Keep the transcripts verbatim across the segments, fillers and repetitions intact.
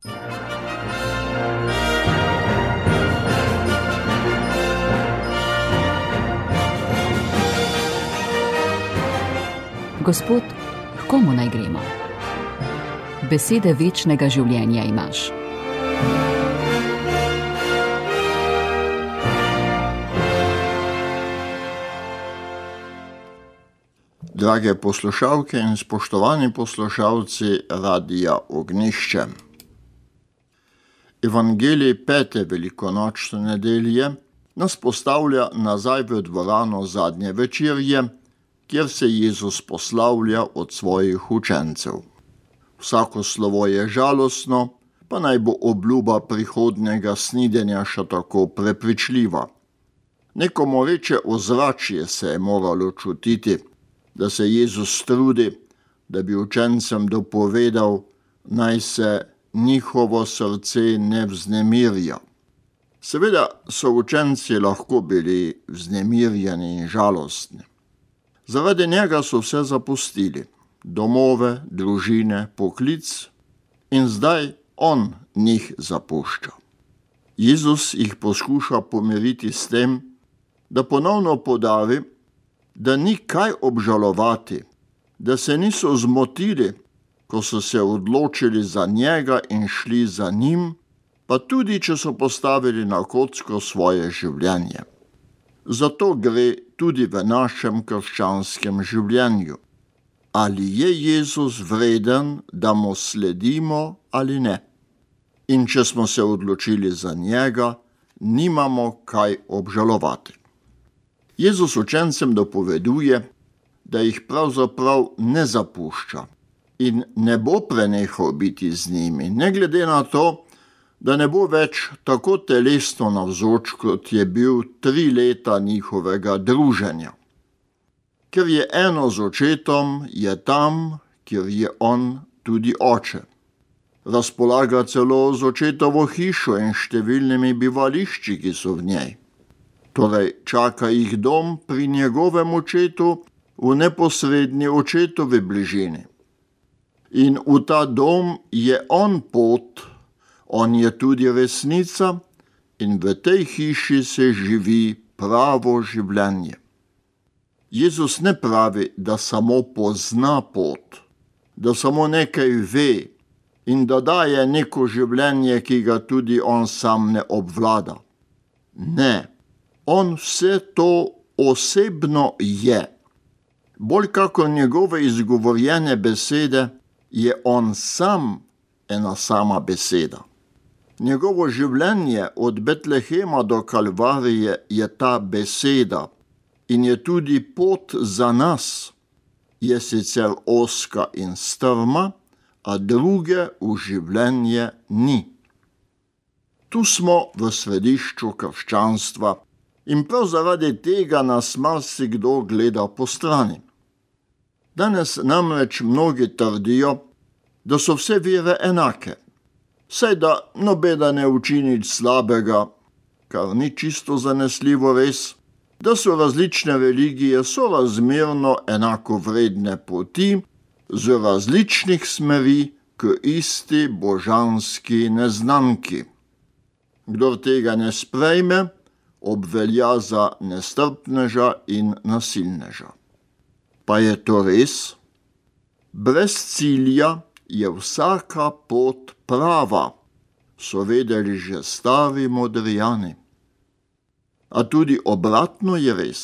Gospod, k komu naj gremo? Besede večnega življenja imaš. Drage poslušalke in spoštovani poslušalci Radia Ognjišče. Evangelij pete velikonočne nedelje nas postavlja nazaj v dvorano zadnje večerje, kjer se Jezus poslavlja od svojih učencev. Vsako slovo je žalostno, pa naj bo obljuba prihodnjega snidenja še tako prepričljiva. Neko moreče ozračje se je moralo čutiti, da se Jezus trudi, da bi učencem dopovedal, naj se njihovo srce ne vznemirja. Seveda so učenci lahko bili vznemirjeni in žalostni. Zaradi njega so vse zapustili, domove, družine, poklic, in zdaj on njih zapušča. Jezus jih poskuša pomiriti s tem, da ponovno podavi, da ni kaj obžalovati, da se niso zmotili, ko so se odločili za njega in šli za njim, pa tudi, če so postavili na kocko svoje življenje. Zato gre tudi v našem krščanskem življenju. Ali je Jezus vreden, da mu sledimo ali ne? In če smo se odločili za njega, nimamo kaj obžalovati. Jezus učencem dopoveduje, da jih pravzaprav ne zapušča in ne bo prenehal biti z njimi, ne glede na to, da ne bo več tako telesno navzoč, kot je bil tri leta njihovega druženja. Ker je eno z očetom, je tam, kjer je on tudi oče. Razpolaga celo z očetovo hišo in številnimi bivališči, ki so v njej. Torej čaka jih dom pri njegovem očetu v neposredni očetovi bližini. In v ta dom je on pot, on je tudi resnica in v tej hiši se živi pravo življenje. Jezus ne pravi, da samo pozna pot, da samo nekaj ve in da daje neko življenje, ki ga tudi on sam ne obvlada. Ne, on vse to osebno je. Bolj kakor njegove izgovorjene besede, je on sam ena sama beseda. Njegovo življenje od Betlehema do Kalvarije je ta beseda in je tudi pot za nas. Je sicer ozka in strma, a druge v življenje ni. Tu smo v središču krščanstva in prav zaradi tega nas marsikdo gleda po strani. Danes namreč mnogi trdijo, da so vse vere enake, saj da nobena ne uči nič slabega, kar ni čisto zanesljivo res, da so različne religije sorazmerno enako vredne poti z različnih smeri k isti božanski neznanki. Kdor tega ne sprejme, obvelja za nestrpneža in nasilneža. Pa je to res? Brez cilja je vsaka pot prava, so vedeli že stari modrijani. A tudi obratno je res.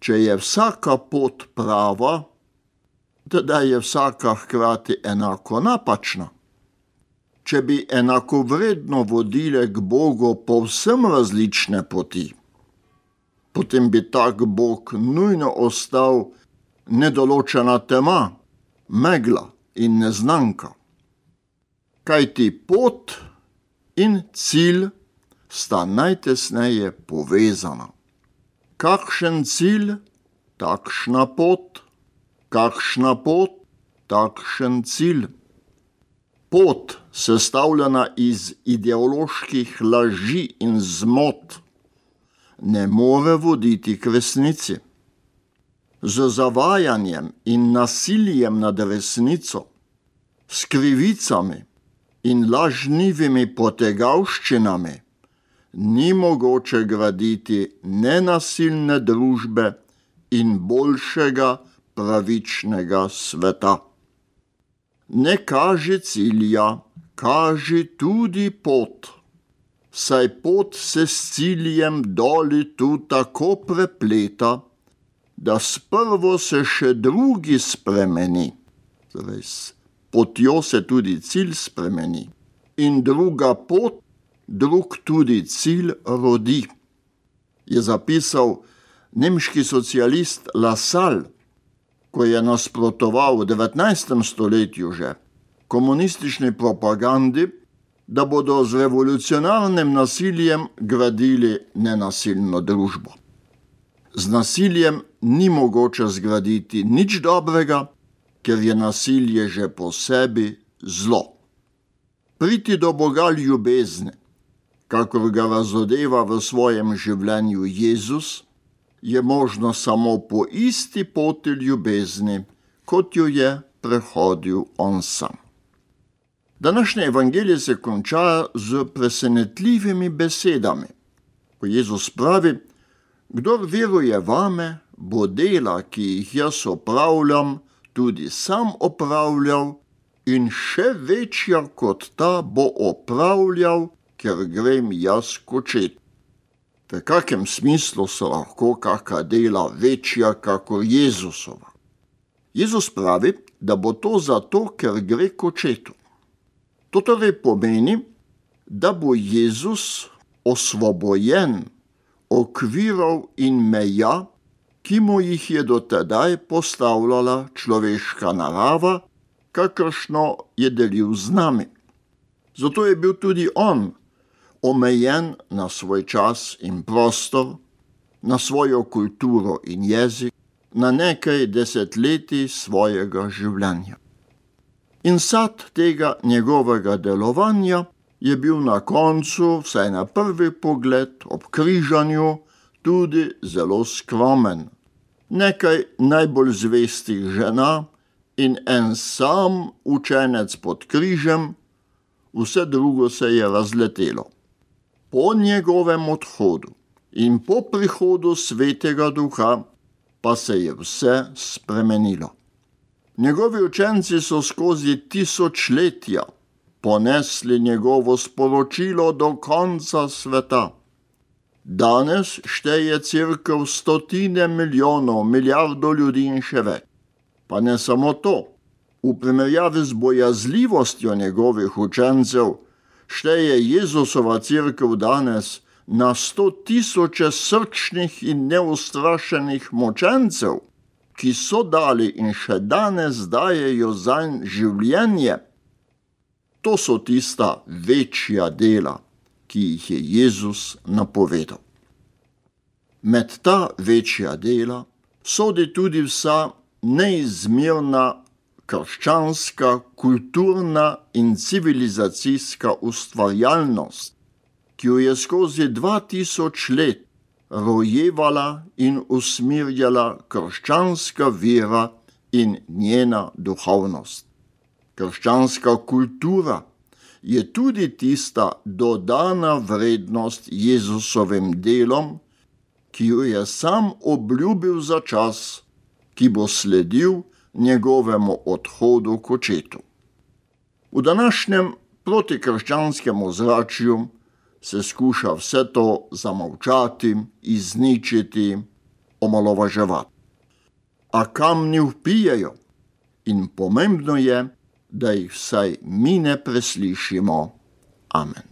Če je vsaka pot prava, teda je vsaka hkrati enako napačna. Če bi enakovredno vodile k Bogu povsem različne poti, potem bi tak Bog nujno ostal nedoločena tema, megla in neznanka. Kajti pot in cilj sta najtesneje povezana. Kakšen cilj, takšna pot, kakšna pot, takšen cilj. Pot, sestavljena iz ideoloških laži in zmot, ne more voditi k resnici. Z zavajanjem in nasiljem nad resnico, s krivicami in lažnivimi potegavščinami ni mogoče graditi nenasilne družbe in boljšega pravičnega sveta. Ne kaži cilja, kaži tudi pot, saj pot se s ciljem doli tu tako prepleta, da sprvo se še drugi spremeni. Torej, s potjo se tudi cilj spremeni. In druga pot, drug tudi cilj rodi. Je zapisal nemški socialist Lassalle, ko je nasprotoval v devetnajstem stoletju že komunistični propagandi, da bodo z revolucionarnim nasiljem gradili nenasilno družbo. Z nasiljem ni mogoče zgraditi nič dobrega, ker je nasilje že po sebi zlo. Priti do Boga ljubezni, kakor ga razodeva v svojem življenju Jezus, je možno samo po isti poti ljubezni, kot jo je prehodil on sam. Današnje evangelije se konča z presenetljivimi besedami, ko Jezus pravi: kdor veruje vame, bo dela, ki jih jaz opravljam, tudi sam opravljal in še večja kot ta bo opravljal, ker grem jaz k Očetu. V kakem smislu so lahko kaka dela večja kakor Jezusova? Jezus pravi, da bo to zato, ker gre k Očetu. To torej pomeni, da bo Jezus osvobojen okvirov in meja, ki mu jih je dotedaj postavljala človeška narava, kakršno je delil z nami. Zato je bil tudi on omejen na svoj čas in prostor, na svojo kulturo in jezik, na nekaj desetletij svojega življenja. In sad tega njegovega delovanja je bil na koncu, vsaj na prvi pogled, ob križanju, tudi zelo skromen. Nekaj najbolj zvestih žena in en sam učenec pod križem, vse drugo se je razletelo. Po njegovem odhodu in po prihodu Svetega Duha pa se je vse spremenilo. Njegovi učenci so skozi tisočletja ponesli njegovo sporočilo do konca sveta. Danes šteje cerkev stotine milijonov, milijardo ljudi in še več. Pa ne samo to, v primerjavi z bojazljivostjo njegovih učencev šteje Jezusova cerkev danes na sto tisoče srčnih in neustrašenih močencev, ki so dali in še danes dajejo zanj življenje. To so tista večja dela, ki jih je Jezus napovedal. Med ta večja dela sodi tudi vsa neizmerna krščanska, kulturna in civilizacijska ustvarjalnost, ki jo je skozi dva tisoč let rojevala in usmirjala krščanska vera in njena duhovnost. Krščanska kultura je tudi tista dodana vrednost Jezusovim delom, ki jo je sam obljubil za čas, ki bo sledil njegovemu odhodu k Očetu. V današnjem protikrščanskem ozračju se skuša vse to zamolčati, izničiti, omalovaževati. A kamni vpijejo in pomembno je, da jih vsaj mi ne preslišimo. Amen.